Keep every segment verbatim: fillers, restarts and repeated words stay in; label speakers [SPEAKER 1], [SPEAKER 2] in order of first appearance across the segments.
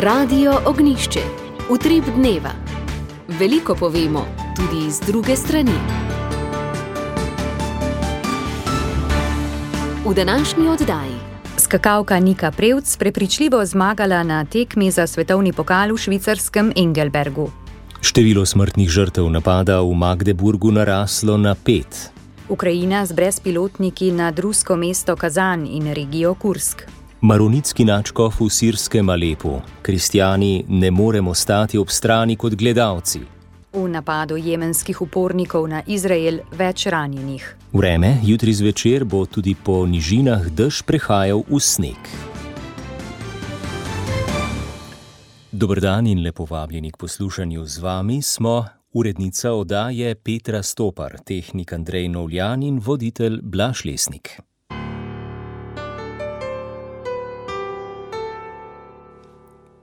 [SPEAKER 1] Radio Ognjišče. Utrip dneva. Veliko povemo, tudi iz druge strani. V današnji oddaji.
[SPEAKER 2] Skakalka Nika Prevc prepričljivo zmagala na tekmi za svetovni pokal v švicarskem Engelbergu.
[SPEAKER 3] Število smrtnih žrtev napada v Magdeburgu naraslo na pet.
[SPEAKER 2] Ukrajina z brezpilotniki nad rusko mesto Kazan in regijo Kursk.
[SPEAKER 3] Maronitski nadškof v sirskem Alepu. Kristjani ne moremo stati ob strani kot gledalci.
[SPEAKER 2] V napadu jemenskih upornikov na Izrael več ranjenih.
[SPEAKER 3] Vreme, jutri zvečer bo tudi po nižinah dež prehajal v sneg. Dober dan in lepo vabljeni k poslušanju. Z vami smo urednica oddaje Petra Stopar, tehnik Andrej Novljan in voditelj Blaž Lesnik.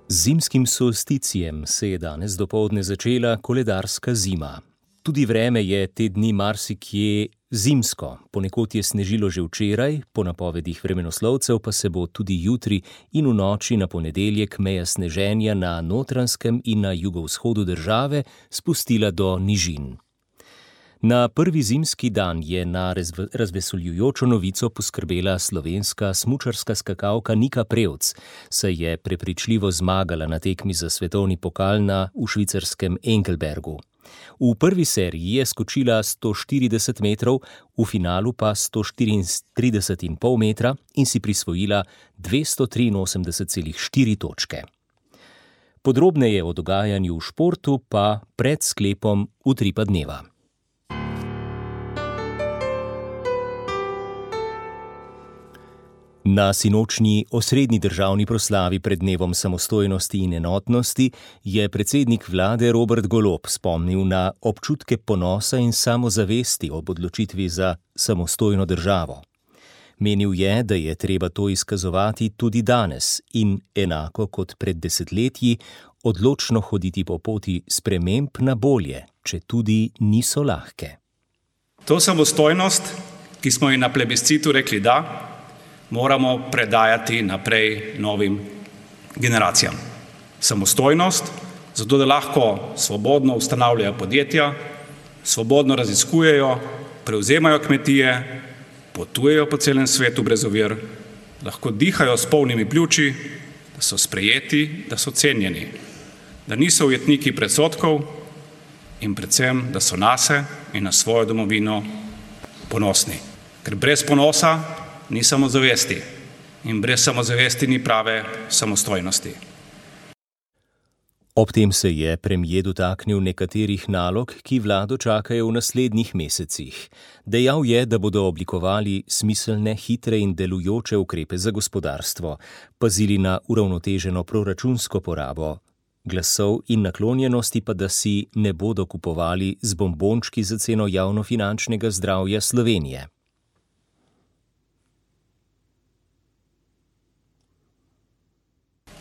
[SPEAKER 3] Z zimskim solsticijem se je danes dopoldne začela koledarska zima. Tudi vreme je te dni marsikje zimsko. Ponekod je snežilo že včeraj, po napovedih vremenoslovcev pa se bo tudi jutri in v noči na ponedeljek meja sneženja na Notranjskem in na jugovzhodu države spustila do nižin. Na prvi zimski dan je na razveseljujočo novico poskrbela slovenska smučarska skakalka Nika Prevc, saj je prepričljivo zmagala na tekmi za svetovni pokal na v švicarskem Engelbergu. V prvi seriji je skočila sto štirideset metrov, v finalu pa sto štiriintrideset in pol metra in si prisvojila dvesto triinosemdeset celih štiri točke. Podrobneje o dogajanju v športu pa pred sklepom utripa dneva. Na sinočnji osrednji državni proslavi pred dnevom samostojnosti in enotnosti je predsednik vlade Robert Golob spomnil na občutke ponosa in samozavesti ob odločitvi za samostojno državo. Menil je, da je treba to izkazovati tudi danes in enako kot pred desetletji odločno hoditi po poti sprememb na bolje, če tudi niso lahke.
[SPEAKER 4] To samostojnost, ki smo ji na plebiscitu rekli da, moramo predajati naprej novim generacijam. Samostojnost, zato da lahko svobodno ustanavljajo podjetja, svobodno raziskujejo, prevzemajo kmetije, potujejo po celem svetu brez ovir, lahko dihajo s polnimi pljuči, da so sprejeti, da so cenjeni, da niso ujetniki predsodkov in predvsem, da so nase in na svojo domovino ponosni. Ker brez ponosa ni samozavesti in brez samozavesti ni prave samostojnosti.
[SPEAKER 3] Ob tem se je premier dotaknil nekaterih nalog, ki vlado čakajo v naslednjih mesecih. Dejal je, da bodo oblikovali smiselne, hitre in delujoče ukrepe za gospodarstvo, pazili na uravnoteženo proračunsko porabo glasov in naklonjenosti pa, da si ne bodo kupovali z bombončki za ceno javnofinančnega zdravja Slovenije.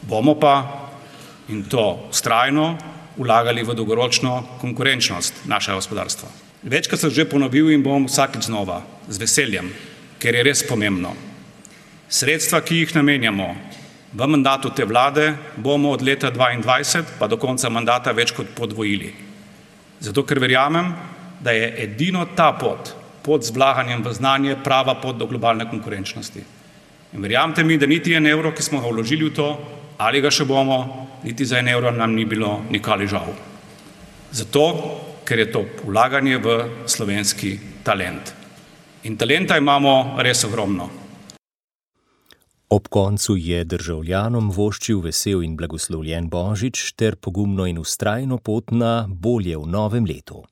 [SPEAKER 4] Bomo pa, in to vztrajno, vlagali v dolgoročno konkurenčnost našega gospodarstva. Večkrat sem že ponovil in bom vsakič znova, z veseljem, ker je res pomembno. Sredstva, ki jih namenjamo v mandatu te vlade, bomo od leta dvaindvajset pa do konca mandata več kot podvojili. Zato, ker verjamem, da je edino ta pot, pot z vlaganjem v znanje, prava pot do globalne konkurenčnosti. In verjamete mi, da niti en evro, ki smo ga vložili v to, ali ga še bomo, niti za en evro nam ni bilo nikoli žal. Zato, ker je to vlaganje v slovenski talent. In talenta imamo res ogromno.
[SPEAKER 3] Ob koncu je državljanom voščil vesel in blagoslovljen Božič ter pogumno in vztrajno pot na bolje v novem letu.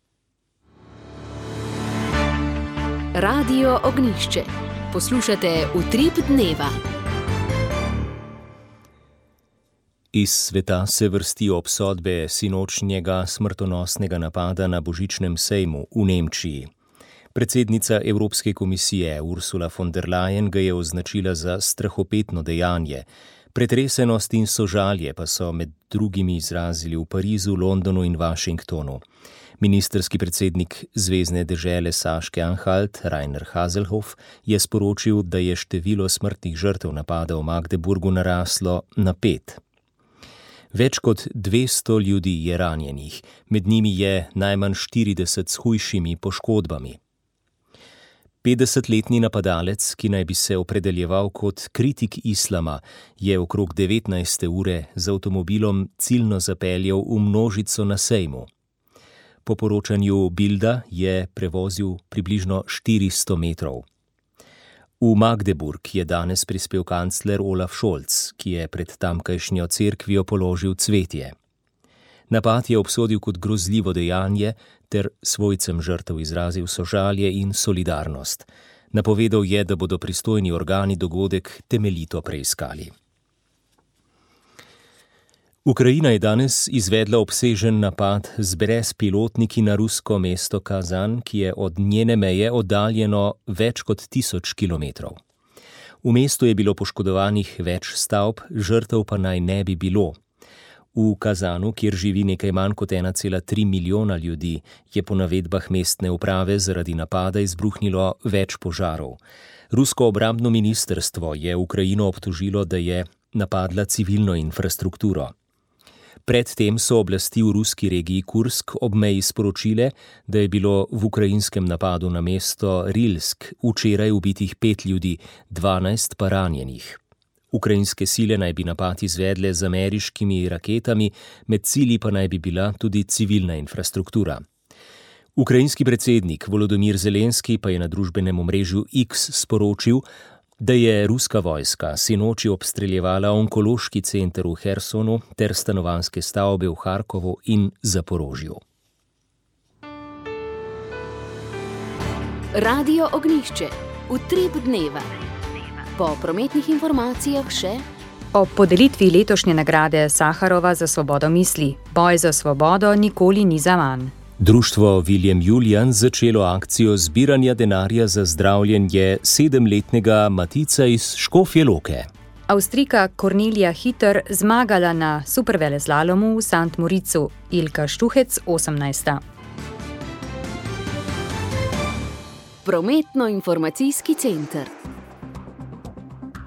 [SPEAKER 1] Radio Ognjišče. Poslušate Utrip dneva.
[SPEAKER 3] Iz sveta se vrstijo obsodbe sinočnjega smrtonosnega napada na božičnem sejmu v Nemčiji. Predsednica Evropske komisije Ursula von der Leyen ga je označila za strahopetno dejanje. Pretresenost in sožalje pa so med drugimi izrazili v Parizu, Londonu in Washingtonu. Ministerski predsednik zvezne dežele Saške-Anhalt, Rainer Haselhoff, je sporočil, da je število smrtnih žrtev napada v Magdeburgu naraslo na pet. Več kot dvesto ljudi je ranjenih, med njimi je najmanj štirideset s hujšimi poškodbami. petdesetletni napadalec, ki naj bi se opredeljeval kot kritik islama, je okrog devetnajste ure z avtomobilom ciljno zapeljal v množico na sejmu. Po poročanju Bilda je prevozil približno štiristo metrov. V Magdeburg je danes prispel kancler Olaf Scholz, ki je pred tamkajšnjo cerkvijo položil cvetje. Napad je obsodil kot grozljivo dejanje ter svojcem žrtev izrazil sožalje in solidarnost. Napovedal je, da bodo pristojni organi dogodek temeljito preiskali. Ukrajina je danes izvedla obsežen napad z brezpilotniki na rusko mesto Kazan, ki je od njene meje oddaljeno več kot tisoč kilometrov. V mestu je bilo poškodovanih več stavb, žrtev pa naj ne bi bilo. V Kazanu, kjer živi nekaj manj kot ena cela tri milijona ljudi, je po navedbah mestne uprave zaradi napada izbruhnilo več požarov. Rusko obrambno ministrstvo je Ukrajino obtožilo, da je napadla civilno infrastrukturo. Predtem so oblasti v ruski regiji Kursk ob meji sporočile, da je bilo v ukrajinskem napadu na mesto Rilsk včeraj ubitih pet ljudi, dvanajst pa ranjenih. Ukrajinske sile naj bi napad izvedle z ameriškimi raketami, med cilji pa naj bi bila tudi civilna infrastruktura. Ukrajinski predsednik Volodymyr Zelenski pa je na družbenem omrežju X sporočil, da je ruska vojska sinoči obstreljevala onkološki center v Hersonu ter stanovanjske stavbe v Harkovu in Zaporožju.
[SPEAKER 1] Radio Ognjišče. Utrip dneva. Po prometnih informacijah še
[SPEAKER 2] o podelitvi letošnje nagrade Saharova za svobodo misli. Boj za svobodo nikoli ni zaman.
[SPEAKER 3] Društvo William Julian začelo akcijo zbiranja denarja za zdravljenje sedemletnega Matica iz Škofje Loke.
[SPEAKER 2] Avstrijka Kornelija Hiter zmagala na superveleslalomu v Sant Moricu, Ilka Štuhec osemnajsta.
[SPEAKER 1] Prometno-informacijski center.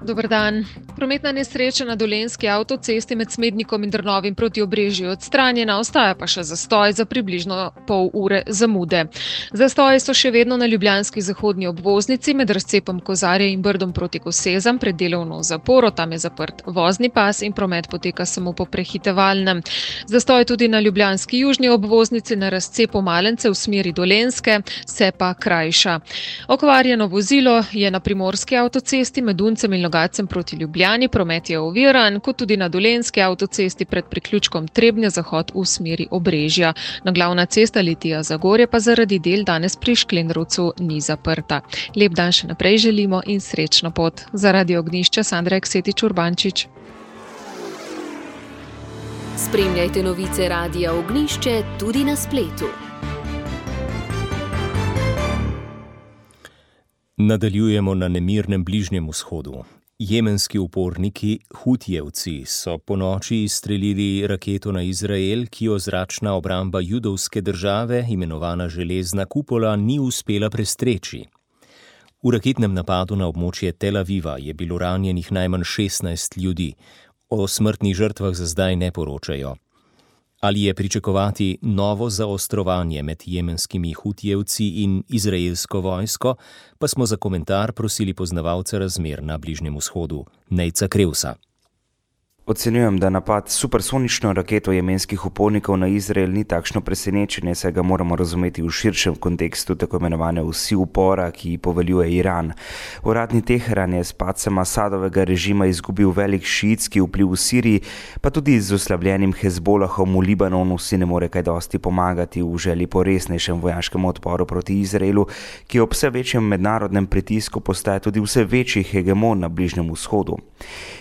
[SPEAKER 5] Dober dan. Prometna nesreča na Dolenjski avtocesti med Smednikom in Drnovim proti Obrežju odstranjena, ostaja pa še zastoj za približno pol ure zamude. Zastoji so še vedno na ljubljanski zahodni obvoznici med razcepom Kozarje in Brdom proti Kosezam pred delovno zaporo, tam je zaprt vozni pas in promet poteka samo po prehitevalnem. Zastoj tudi na ljubljanski južni obvoznici na razcepu Malence v smeri Dolenjske, se pa krajša. Okvarjeno vozilo je na primorski avtocesti med Uncem in Logacem proti Ljubljani. Promet je oviran, kot tudi na Dolenjski avtocesti pred priključkom Trebnje zahod v smeri Obrežja. Na glavna cesta Litija-Zagorje pa zaradi del danes pri Šklendrovcu ni zaprta. Lep dan še naprej želimo in srečno pot. Za Radio Ognjišče Sandra Eksetič Urbančič.
[SPEAKER 1] Spremljajte novice Radia Ognjišče tudi na spletu.
[SPEAKER 3] Nadaljujemo na nemirnem Bližnjem vzhodu. Jemenski uporniki Hutijevci so ponoči izstrelili raketo na Izrael, ki jo zračna obramba judovske države, imenovana Železna kupola, ni uspela prestreči. V raketnem napadu na območje Tel Aviva je bilo ranjenih najmanj šestnajst ljudi. O smrtnih žrtvah za zdaj ne poročajo. Ali je pričakovati novo zaostrovanje med jemenskimi Hutijevci in izraelsko vojsko, pa smo za komentar prosili poznavalca razmer na Bližnjem vzhodu, Nejca Krevsa.
[SPEAKER 6] Ocenjujem, da napad s supersonično raketo jemenskih upornikov na Izrael ni takšno presenečenje, saj ga moramo razumeti v širšem kontekstu tako imenovane osi upora, ki poveljuje Iran. Uradni Teheran je s padcem Asadovega režima izgubil velik šiitski vpliv v Siriji, pa tudi z oslabljenim Hezbolahom v Libanonu si ne more kaj dosti pomagati v želji po resnejšem vojaškem odporu proti Izraelu, ki ob vse večjem mednarodnem pritisku postaja tudi vse večji hegemon na Bližnjem vzhodu.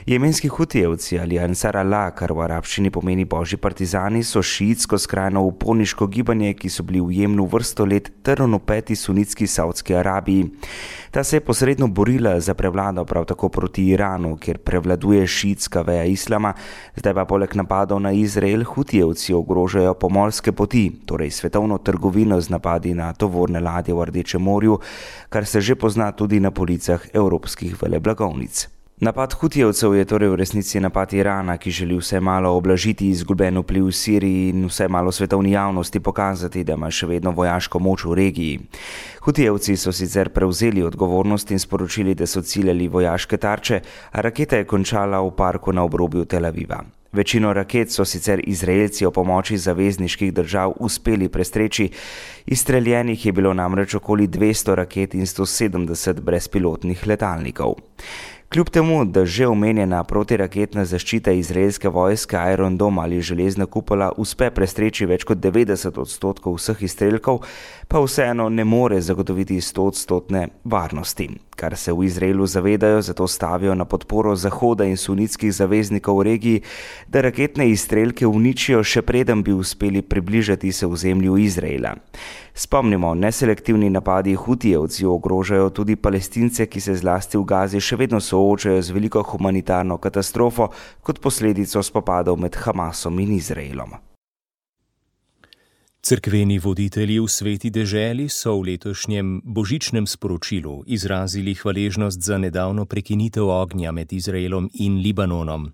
[SPEAKER 6] Jemenski Hutijevci ali Ansar Allah, kar v arabščini pomeni božji partizani, so šiitsko skrajno uporniško gibanje, ki so bili v Jemnu vrsto let trn v peti sunitski Saudski Arabiji. Ta se je posredno borila za prevlado prav tako proti Iranu, kjer prevladuje šiitska veja islama, zdaj pa poleg napadov na Izrael Hutijevci ogrožajo pomorske poti, torej svetovno trgovino z napadi na tovorne ladje v Rdečem morju, kar se že pozna tudi na policah evropskih veleblagovnic. Napad Hutijevcev je torej v resnici napad Irana, ki želi vse malo oblažiti izgubljen vpliv v Siriji in vse malo svetovni javnosti pokazati, da ima še vedno vojaško moč v regiji. Hutijevci so sicer prevzeli odgovornost in sporočili, da so ciljali vojaške tarče, a raketa je končala v parku na obrobju Tel Aviva. Večino raket so sicer Izraelci o pomoči zavezniških držav uspeli prestreči, izstreljenih je bilo namreč okoli dvesto raket in sto sedemdeset brezpilotnih letalnikov. Kljub temu, da že omenjena protiraketna zaščita izraelske vojske Iron Dome ali železna kupola uspe prestreči več kot devetdeset odstotkov vseh izstrelkov, pa vseeno ne more zagotoviti sto odstotne varnosti. Kar se v Izraelu zavedajo, zato stavijo na podporo Zahoda in sunitskih zaveznikov v regiji, da raketne izstrelke uničijo, še preden bi uspeli približati se v zemlju Izraela. Spomnimo, neselektivni napadi Hutijevcev ogrožajo tudi Palestince, ki se zlasti v Gazi še vedno soočajo z veliko humanitarno katastrofo kot posledico spopadov med Hamasom in Izraelom.
[SPEAKER 3] Cerkveni voditelji v Sveti deželi so v letošnjem božičnem sporočilu izrazili hvaležnost za nedavno prekinitev ognja med Izraelom in Libanonom.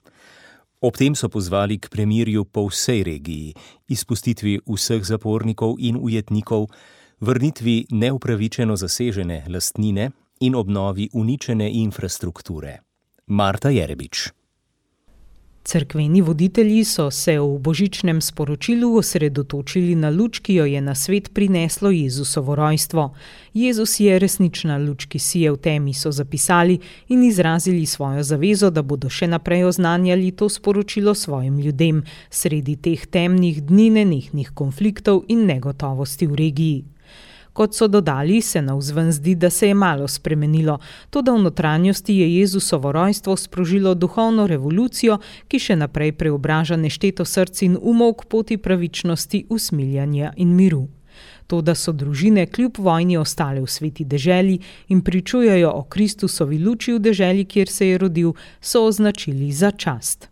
[SPEAKER 3] Ob tem so pozvali k premirju po vsej regiji, izpustitvi vseh zapornikov in ujetnikov, vrnitvi neupravičeno zasežene lastnine in obnovi uničene infrastrukture. Marta Jerebič.
[SPEAKER 7] Cerkveni voditelji so se v božičnem sporočilu osredotočili na luč, ki jo je na svet prineslo Jezusovo rojstvo. Jezus je resnična luč, ki sije v temi, so zapisali in izrazili svojo zavezo, da bodo še naprej oznanjali to sporočilo svojim ljudem, sredi teh temnih dni nenehnih konfliktov in negotovosti v regiji. Kot so dodali, se navzven zdi, da se je malo spremenilo, toda v notranjosti je Jezusovo rojstvo sprožilo duhovno revolucijo, ki še naprej preobraža nešteto src in umov k poti pravičnosti, usmiljanja in miru. To, da so družine kljub vojni ostale v sveti deželi in pričujejo o Kristusovi luči v deželi, kjer se je rodil, so označili za čast.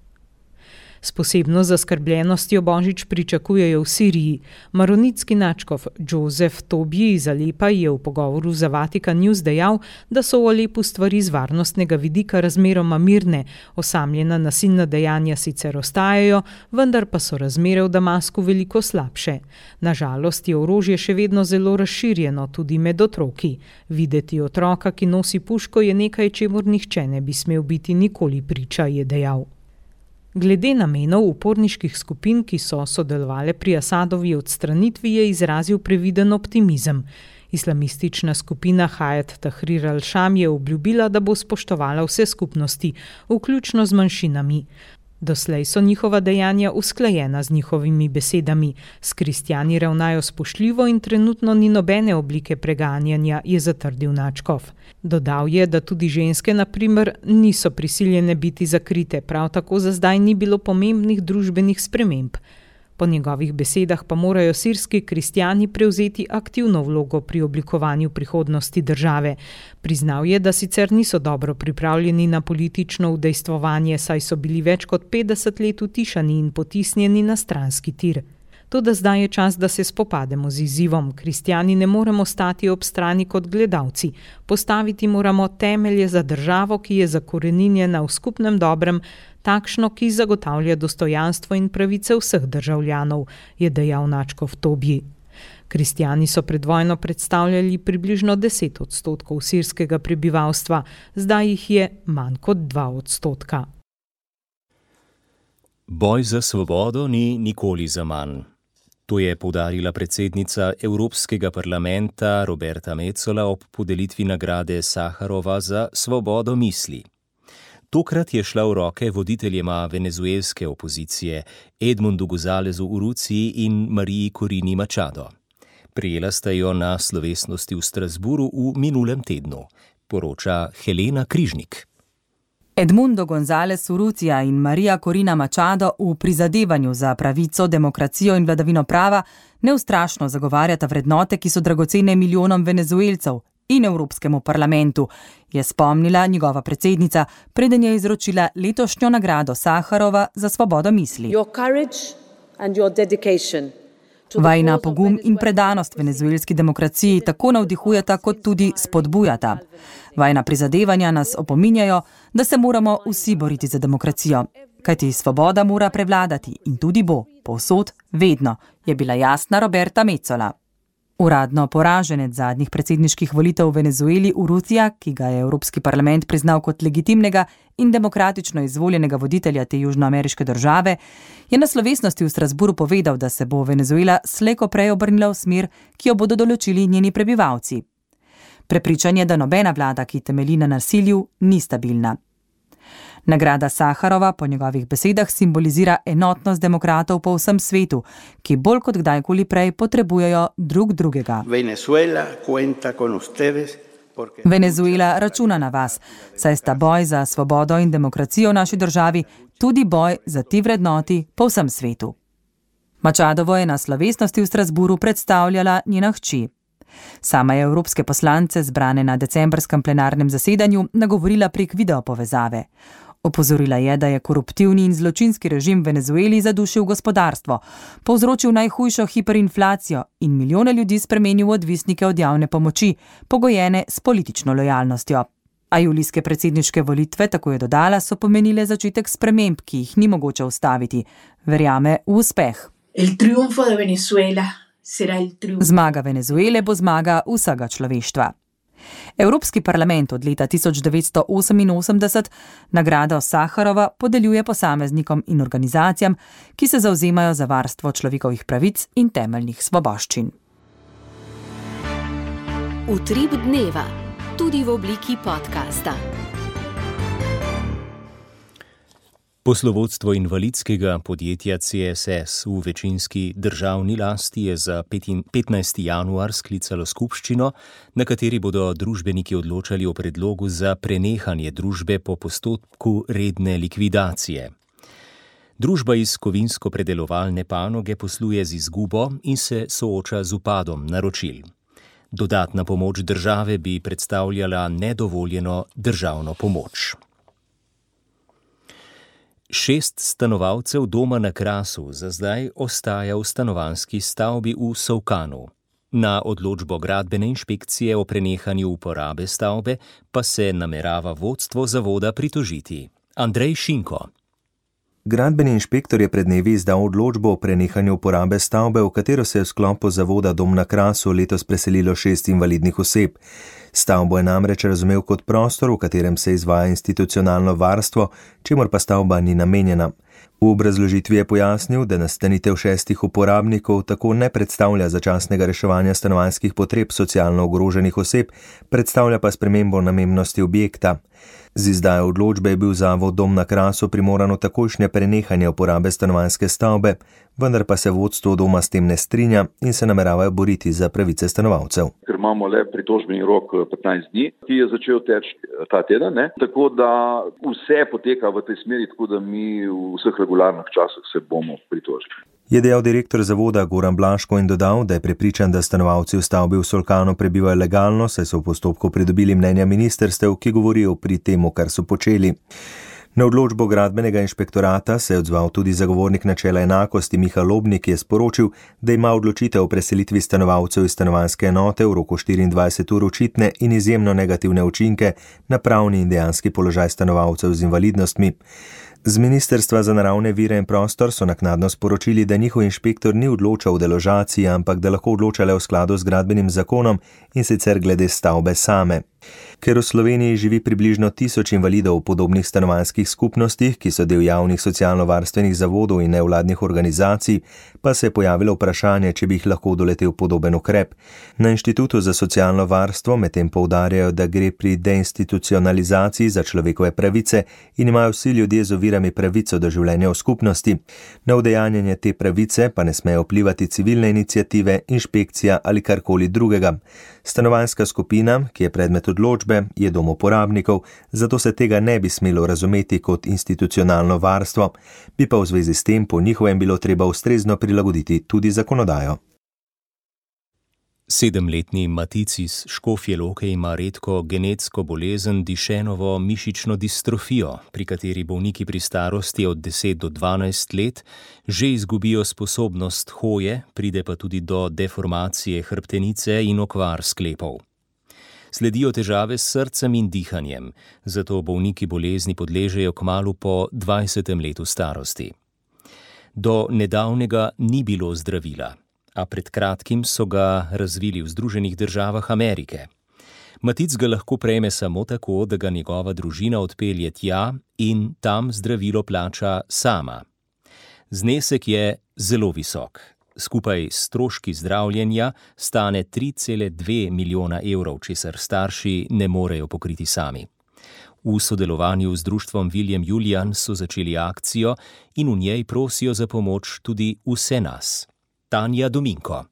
[SPEAKER 7] S posebno zaskrbljenostjo božič pričakujejo v Siriji. Maronitski nadškof Joseph Tobji iz Alepa je v pogovoru za Vatikan News dejal, da so v Alepu stvari z varnostnega vidika razmeroma mirne, osamljena nasilna dejanja sicer ostajajo, vendar pa so razmere v Damasku veliko slabše. Na žalost je orožje še vedno zelo razširjeno, tudi med otroki. Videti otroka, ki nosi puško, je nekaj, čemur nihče ne bi smel biti nikoli priča, je dejal. Glede namenov uporniških skupin, ki so sodelovale pri Asadovi odstranitvi, je izrazil previden optimizem. Islamistična skupina Hayat Tahrir al-Sham je obljubila, da bo spoštovala vse skupnosti, vključno z manjšinami. Doslej so njihova dejanja usklajena z njihovimi besedami. S kristjani ravnajo spoštljivo in trenutno ni nobene oblike preganjanja, je zatrdil nadškof. Dodal je, da tudi ženske, na primer, niso prisiljene biti zakrite, prav tako za zdaj ni bilo pomembnih družbenih sprememb. Po njegovih besedah pa morajo sirski kristjani prevzeti aktivno vlogo pri oblikovanju prihodnosti države. Priznal je, da sicer niso dobro pripravljeni na politično udejstvovanje, saj so bili več kot petdeset let utišani in potisnjeni na stranski tir. Toda zdaj je čas, da se spopademo z izzivom. Kristjani ne moremo stati ob strani kot gledalci. Postaviti moramo temelje za državo, ki je zakoreninjena v skupnem dobrem, takšno, ki zagotavlja dostojanstvo in pravice vseh državljanov, je dejal nadškof Tobji. Kristjani so pred vojno predstavljali približno deset odstotkov sirskega prebivalstva, zdaj jih je manj kot dva odstotka.
[SPEAKER 3] Boj za svobodo ni nikoli zaman. To je poudarila predsednica Evropskega parlamenta Roberta Metsola ob podelitvi nagrade Saharova za svobodo misli. Tokrat je šla v roke voditeljema venezuelske opozicije Edmundu Gonzalezu Urruciji in Mariji Corina Machado. Prijela sta jo na slovesnosti v Strasburu v minulem tednu, poroča Helena Križnik.
[SPEAKER 8] Edmundo González Urrutia in Marija Corina Machado v prizadevanju za pravico, demokracijo in vladavino prava neustrašno zagovarjata vrednote, ki so dragocene milijonom Venezuelcev in Evropskemu parlamentu, je spomnila njegova predsednica, preden je izročila letošnjo nagrado Saharova za svobodo misli.
[SPEAKER 9] Your courage and your dedication
[SPEAKER 8] Vajna pogum in predanost venezuelski demokraciji tako navdihujeta kot tudi spodbujata. Vajna prizadevanja nas opominjajo, da se moramo vsi boriti za demokracijo. Kajti svoboda mora prevladati in tudi bo, povsod, vedno, je bila jasna Roberta Metsola. Uradno poraženec zadnjih predsedniških volitev v Venezueli Urrutia, ki ga je Evropski parlament priznal kot legitimnega in demokratično izvoljenega voditelja te južnoameriške države, je na slovesnosti v Strasburu povedal, da se bo Venezuela slej ko prej obrnila v smer, ki jo bodo določili njeni prebivalci. Prepričan je, da nobena vlada, ki temelji na nasilju, ni stabilna. Nagrada Saharova po njegovih besedah simbolizira enotnost demokratov po vsem svetu, ki bolj kot kdajkoli prej potrebujejo drug drugega.
[SPEAKER 9] Venezuela cuenta con ustedes.
[SPEAKER 8] Venezuela računa na vas, saj sta boj za svobodo in demokracijo v naši državi tudi boj za ti vrednoti po vsem svetu. Machadovo je na slovesnosti v Strasburu predstavljala njena hči. Sama je evropske poslance, zbrane na decembrskem plenarnem zasedanju, nagovorila prek videopovezave. Opozorila je, da je koruptivni in zločinski režim v Venezueli zadušil gospodarstvo, povzročil najhujšo hiperinflacijo in milijone ljudi spremenil v odvisnike od javne pomoči, pogojene s politično lojalnostjo. A julijske predsedniške volitve, tako je dodala, so pomenile začetek sprememb, ki jih ni mogoče ustaviti. Verjame v uspeh.
[SPEAKER 9] El triunfo de Venezuela será el triunfo.
[SPEAKER 8] Zmaga Venezuele bo zmaga vsega človeštva. Evropski parlament od leta tisoč devetsto oseminosemdeset nagrado Saharova podeljuje posameznikom in organizacijam, ki se zavzemajo za varstvo človekovih pravic in temeljnih svoboščin.
[SPEAKER 1] Utrip dneva, tudi v obliki podcasta.
[SPEAKER 3] Poslovodstvo invalidskega podjetja C S S v večinski državni lasti je za petnajsti januar sklicalo skupščino, na kateri bodo družbeniki odločali o predlogu za prenehanje družbe po postopku redne likvidacije. Družba iz kovinsko-predelovalne panoge posluje z izgubo in se sooča z upadom naročil. Dodatna pomoč države bi predstavljala nedovoljeno državno pomoč. Šest stanovalcev doma na Krasu za zdaj ostaja v stanovanjski stavbi v Solkanu. Na odločbo gradbene inšpekcije o prenehanju uporabe stavbe pa se namerava vodstvo zavoda pritožiti. Andrej Šinko.
[SPEAKER 10] Gradbeni inšpektor je pred dnevi izdal odločbo o prenehanju uporabe stavbe, v katero se je v sklopu zavoda Dom na Krasu letos preselilo šest invalidnih oseb. Stavbo je namreč razumel kot prostor, v katerem se izvaja institucionalno varstvo, čemur pa stavba ni namenjena. V obrazložitvi je pojasnil, da nastanitev šestih uporabnikov tako ne predstavlja začasnega reševanja stanovanjskih potreb socialno ogroženih oseb, predstavlja pa spremembo namembnosti objekta. Z izdajo odločbe je bil zavod Dom na Krasu primorano takojšnje prenehanje uporabe stanovanjske stavbe, vendar pa se vodstvo doma s tem ne strinja in se nameravajo boriti za pravice stanovalcev.
[SPEAKER 11] Ker imamo le pritožbeni rok petnajst dni, ki je začel teči ta teden, ne? Tako da vse poteka v tej smeri, tako da mi v vseh regularnih časih se bomo pritožili.
[SPEAKER 10] Je dejal direktor zavoda Goran Blaško in dodal, da je prepričan, da stanovalci v stavbi v Solkanu prebivajo legalno, saj so v postopku pridobili mnenja ministerstev, ki govorijo pri temu, kar so počeli. Na odločbo gradbenega inšpektorata se je odzval tudi zagovornik načela enakosti Miha Lobnik, ki je sporočil, da ima odločitev o preselitvi stanovalcev iz stanovanjske enote v roku štiriindvajset ur očitne in izjemno negativne učinke na pravni in dejanski položaj stanovalcev z invalidnostmi. Z Ministrstva za naravne vire in prostor so naknadno sporočili, da njihov inšpektor ni odločal o deložaciji, ampak da lahko odločale v skladu z gradbenim zakonom in sicer glede stavbe same. Ker v Sloveniji živi približno tisoč invalidov v podobnih stanovanjskih skupnostih, ki so del javnih socialno-varstvenih zavodov in nevladnih organizacij, pa se je pojavilo vprašanje, če bi jih lahko doletel podoben ukrep. Na Inštitutu za socialno varstvo medtem poudarjajo, da gre pri deinstitucionalizaciji za človekove pravice in imajo vsi ljudje z ovirami pravico do življenja v skupnosti. Na udejanjanje te pravice pa ne smejo vplivati civilne iniciative, inšpekcija ali karkoli drugega. Stanovanjska skupina, ki je predmet odločbe, je dom uporabnikov, zato se tega ne bi smelo razumeti kot institucionalno varstvo, bi pa v zvezi s tem po njihovem bilo treba ustrezno prilagoditi tudi zakonodajo.
[SPEAKER 3] Sedemletni Matic iz Škofje Loke ima redko genetsko bolezen Duchennovo mišično distrofijo, pri kateri bolniki pri starosti od deset do dvanajst let že izgubijo sposobnost hoje, pride pa tudi do deformacije hrbtenice in okvar sklepov. Sledijo težave s srcem in dihanjem, zato bolniki bolezni podležejo kmalu po dvajsetem letu starosti. Do nedavnega ni bilo zdravila, a pred kratkim so ga razvili v Združenih državah Amerike. Matic ga lahko prejme samo tako, da ga njegova družina odpelje tja in tam zdravilo plača sama. Znesek je zelo visok. Skupaj s stroški zdravljenja stane tri cele dve milijona evrov, česar starši ne morejo pokriti sami. V sodelovanju z društvom William Julian so začeli akcijo in v njej prosijo za pomoč tudi vse nas. Tanja Dominko.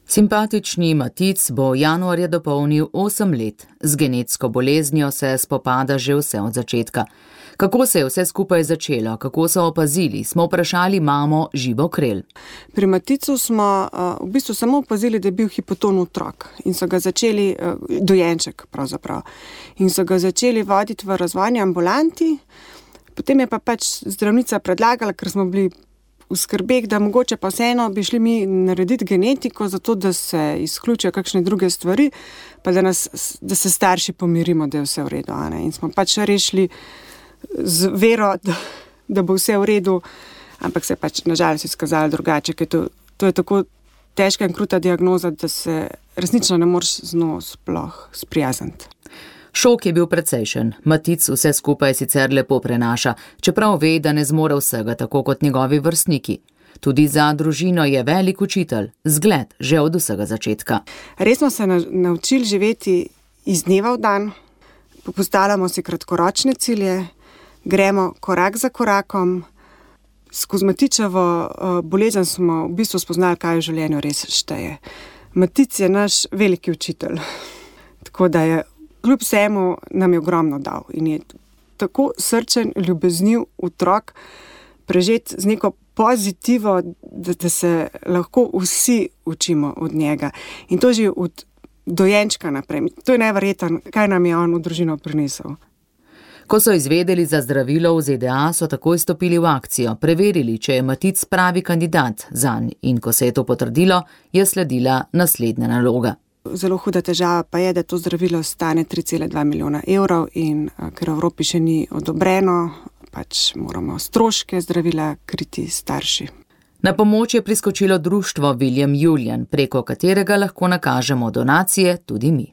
[SPEAKER 12] Simpatični Matic bo januarja dopolnil osem let. Z genetsko boleznijo se spopada že vse od začetka. Kako se je vse skupaj začelo, kako so opazili, smo vprašali mamo Živo Krelj.
[SPEAKER 13] Pri Maticu smo uh, v bistvu samo opazili, da je bil hipoton otrok in so ga začeli, uh, dojenček pravzaprav, in so ga začeli voditi v razvojni ambulanti. Potem je pa pač zdravnica predlagala, ker smo bili v skrbeh, da mogoče pa vseeno bi šli mi narediti genetiko, zato da se izključijo kakšne druge stvari, pa da, nas, da se starši pomirimo, da je vse v redu. Ne? In smo pač rešili z vero, da, da bo vse v redu, ampak se je pač nažalost izkazalo drugače, ker to, to je tako težka in kruta diagnoza, da se resnično ne moreš z njo sploh sprijazniti.
[SPEAKER 12] Šok je bil precejšen. Matic vse skupaj sicer lepo prenaša, čeprav ve, da ne zmore vsega tako kot njegovi vrstniki. Tudi za družino je velik učitelj, zgled že od vsega začetka.
[SPEAKER 13] Res smo se naučili živeti iz dneva v dan, postavljamo si kratkoročne cilje, gremo korak za korakom. Skozi Matičevo bolezen smo v bistvu spoznali, kaj v življenju res šteje. Matic je naš veliki učitelj, tako da je kljub vsemu nam je ogromno dal in je tako srčen, ljubezniv otrok, prežet z neko pozitivo, da, da se lahko vsi učimo od njega. In to že od dojenčka naprej. To je neverjetno, kaj nam je on v družino prinesel.
[SPEAKER 12] Ko so izvedeli za zdravilo v Z D A, so takoj stopili v akcijo, preverili, če je Matic pravi kandidat zanj, in ko se je to potrdilo, je sledila naslednja naloga.
[SPEAKER 13] Zelo huda težava pa je, da to zdravilo stane tri cele dva milijona evrov in ker v Evropi še ni odobreno, pač moramo stroške zdravila kriti starši.
[SPEAKER 12] Na pomoč je priskočilo društvo William Julian, preko katerega lahko nakažemo donacije tudi mi.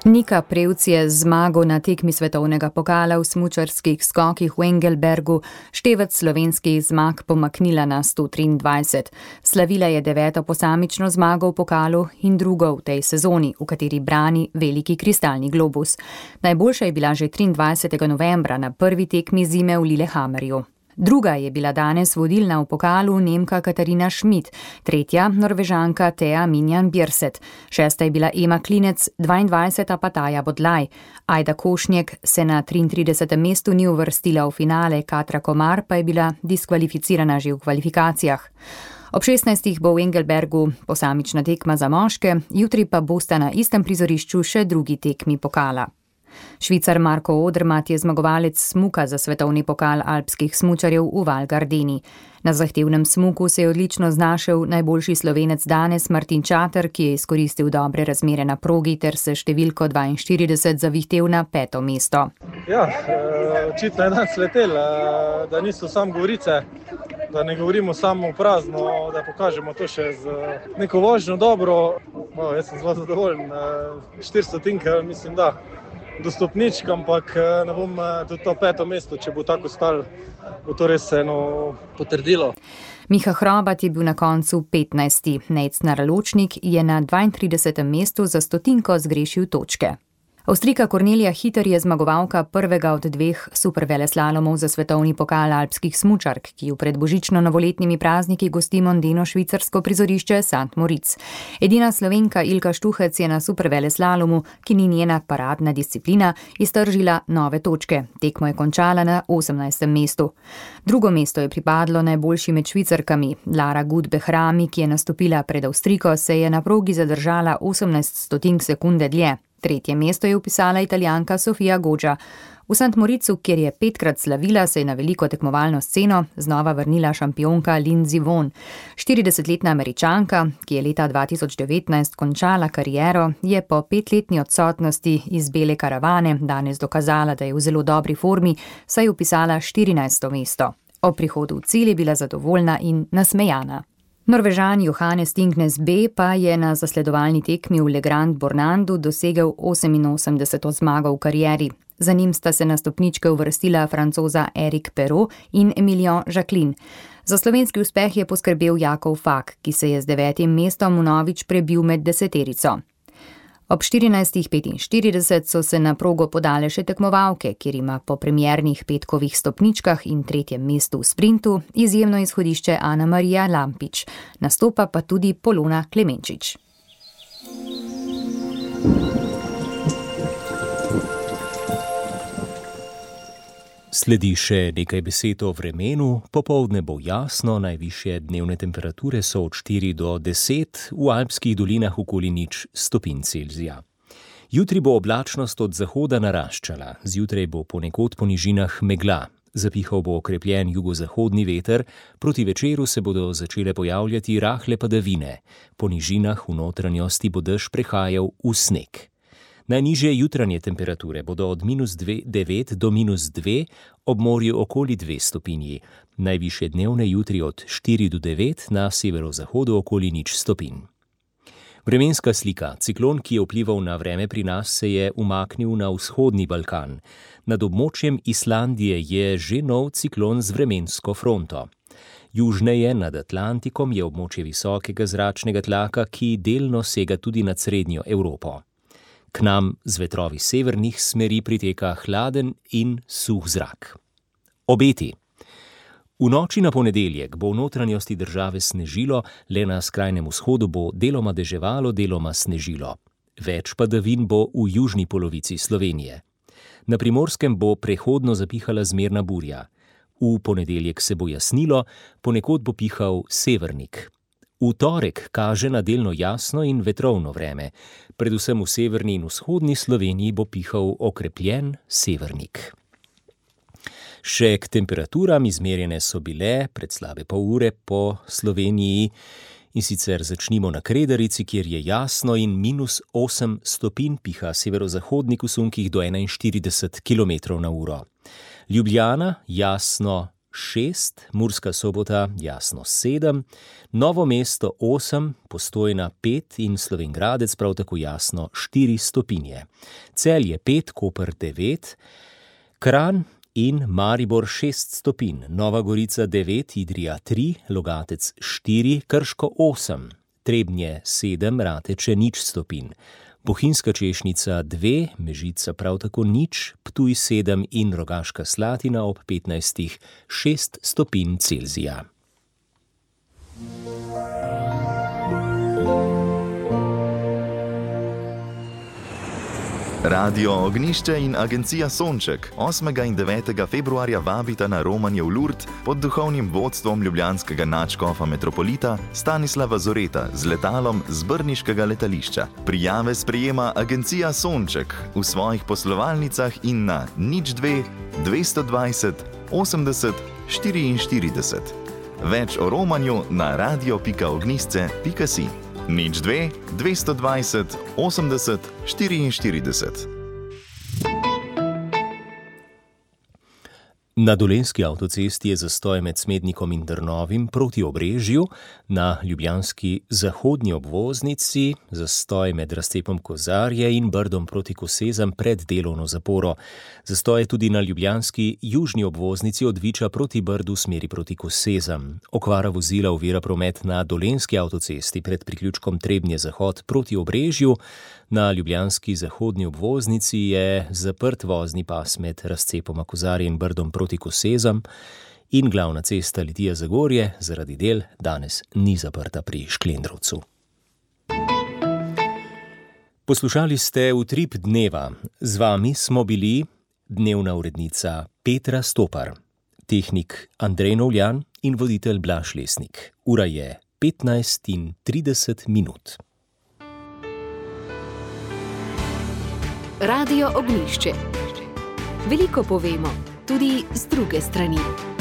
[SPEAKER 2] Nika Prevc je z zmago na tekmi svetovnega pokala v smučarskih skokih v Engelbergu števec slovenskih zmag pomaknila na sto triindvajset. Slavila je deveto posamično zmago v pokalu in drugo v tej sezoni, v kateri brani veliki kristalni globus. Najboljša je bila že triindvajsetega novembra na prvi tekmi zime v Lillehammerju. Druga je bila danes vodilna v pokalu Nemka Katarina Schmidt, tretja Norvežanka Thea Minjan Bjerset, šesta je bila Ema Klinec, dvaindvajseta pa Taja Bodlaj. Ajda Košnjek se na triintridesetem mestu ni uvrstila v finale, Katra Komar pa je bila diskvalificirana že v kvalifikacijah. Ob šestnajstih bo v Engelbergu posamična tekma za moške, jutri pa bosta na istem prizorišču še drugi tekmi pokala. Švicar Marko Odermatt je zmagovalec smuka za svetovni pokal alpskih smučarjev v Val Gardeni. Na zahtevnem smuku se je odlično znašel najboljši Slovenec danes Martin Čater, ki je izkoristil dobre razmere na progi ter se številko dvainštirideset zavihtel na peto mesto.
[SPEAKER 14] Ja, očitno je danes letel, da niso samo govorice, da ne govorimo samo prazno, da pokažemo to še z neko vožnjo dobro. No, jaz sem zelo zadovoljen, štiristo tinke, mislim, da do stopničk, ampak ne bom tudi to peto mesto, če bo tako stalo, bo to res eno potrdilo.
[SPEAKER 2] Miha Hrobat je bil na koncu petnajsti. Nejc Naraločnik je na dvaintridesetem mestu za stotinko zgrešil točke. Avstrijka Kornelija Hiter je zmagovalka prvega od dveh superveleslalomov za svetovni pokal alpskih smučark, ki v predbožično-novoletnimi prazniki gosti mondeno švicarsko prizorišče Sant Moritz. Edina Slovenka Ilka Štuhec je na superveleslalomu, ki ni njena paradna disciplina, iztržila nove točke. Tekmo je končala na osemnajstem mestu. Drugo mesto je pripadlo najboljši med Švicarkami. Lara Gut Behrami, ki je nastopila pred Avstrijko, se je na progi zadržala osemnajst stotink sekunde dlje. Tretje mesto je upisala Italijanka Sofia Goggia. V Sant Moritzu, kjer je petkrat slavila, se je na veliko tekmovalno sceno znova vrnila šampionka Lindsey Vonn. štiridesetletna Američanka, ki je leta dva tisoč devetnajst končala kariero, je po petletni odsotnosti iz bele karavane danes dokazala, da je v zelo dobri formi, saj je upisala štirinajsto mesto. O prihodu v cilj je bila zadovoljna in nasmejana. Norvežan Johannes Tingnes B pa je na zasledovalni tekmi v Le Grand Bornandu dosegel oseminosemdeseto zmago v karieri. Za njim sta se na stopničke uvrstila Francoza Eric Perrault in Emilien Jacquelin. Za slovenski uspeh je poskrbel Jakov Fak, ki se je z devetim mestom vnovič prebil med deseterico. Ob štirinajstih petinštirideset so se na progo podale še tekmovalke, kjer ima po premiernih petkovih stopničkah in tretjem mestu v sprintu izjemno izhodišče Ana Marija Lampič. Nastopa pa tudi Polona Klemenčič.
[SPEAKER 3] Sledi še nekaj besed o vremenu. Popoldne bo jasno, najvišje dnevne temperature so od štiri do deset, v alpskih dolinah okoli nič stopinj Celzija. Jutri bo oblačnost od zahoda naraščala, zjutraj bo ponekod po nižinah megla. Zapihal bo okrepljen jugozahodni veter, proti večeru se bodo začele pojavljati rahle padavine. Po nižinah v notranjosti bo dež prehajal v sneg. Najnižje jutranje temperature bodo od minus devet do minus dve, ob morju okoli dve stopinji. Najvišje dnevne jutri od štiri do devet, na severozahodu okoli nič stopinj. Vremenska slika. Ciklon, ki je vplival na vreme pri nas, se je umaknil na vzhodni Balkan. Nad območjem Islandije je že nov ciklon z vremensko fronto. Južneje nad Atlantikom je območje visokega zračnega tlaka, ki delno sega tudi nad srednjo Evropo. K nam z vetrovi severnih smeri priteka hladen in suh zrak. Obeti. V noči na ponedeljek bo v notranjosti države snežilo, le na skrajnem vzhodu bo deloma deževalo, deloma snežilo. Več padavin bo v južni polovici Slovenije. Na Primorskem bo prehodno zapihala zmerna burja. V ponedeljek se bo jasnilo, ponekod bo pihal severnik. V torek kaže na delno jasno in vetrovno vreme. Predvsem v severni in vzhodni Sloveniji bo pihal okrepljen severnik. Še k temperaturam izmerjene so bile pred slabe pol ure po Sloveniji, in sicer začnimo na Kredarici, kjer je jasno in minus osem stopinj, piha severozahodnik v sunkih do enainštirideset kilometrov na uro. Ljubljana jasno šest, Murska Sobota jasno sedem, Novo mesto osem, Postojna pet in Slovenj Gradec prav tako jasno štiri stopinje. Celje pet, Koper devet, Kranj in Maribor šest stopinj, Nova Gorica devet, Idrija tri, Logatec štiri, Krško osem, Trebnje sedem, Rateče nič stopinj. Bohinjska Češnica dve, Mežica prav tako nič, Ptuj sedem in Rogaška Slatina ob petnajstih šest stopinj Celzija.
[SPEAKER 15] Radio Ognjišče in agencija Sonček osmega in devetega februarja vabita na romanje v Lurd pod duhovnim vodstvom ljubljanskega nadškofa metropolita Stanislava Zoreta z letalom z brniškega letališča. Prijave sprejema agencija Sonček v svojih poslovalnicah in na nič dve dvesto dvajset osemdeset štiriinštirideset. Več o romanju na radio pika ognjišče pika si. nič dve dvesto dvajset osemdeset štiriinštirideset.
[SPEAKER 3] Na Dolenjski avtocesti je zastoj med Smednikom in Drnovim proti Obrežju, na ljubljanski zahodnji obvoznici zastoj med razcepom Kozarje in Brdom proti Kosezam pred delovno zaporo. Zastoj je tudi na ljubljanski južni obvoznici od Viča proti Brdu v smeri proti Kosezam. Okvara vozila ovira promet na Dolenjski avtocesti pred priključkom Trebnje Zahod proti Obrežju, Na ljubljanski zahodni obvoznici je zaprt vozni pas med razcepoma Kozarje in Brdom proti Kosezam in glavna cesta Litija-Zagorje zaradi del danes ni zaprta pri Šklendrovcu. Poslušali ste Utrip dneva. Z vami smo bili dnevna urednica Petra Stopar, tehnik Andrej Novljan in voditelj Blaž Lesnik. Ura je petnajst in trideset minut.
[SPEAKER 1] Radio Ognjišče. Veliko povemo, tudi z druge strani.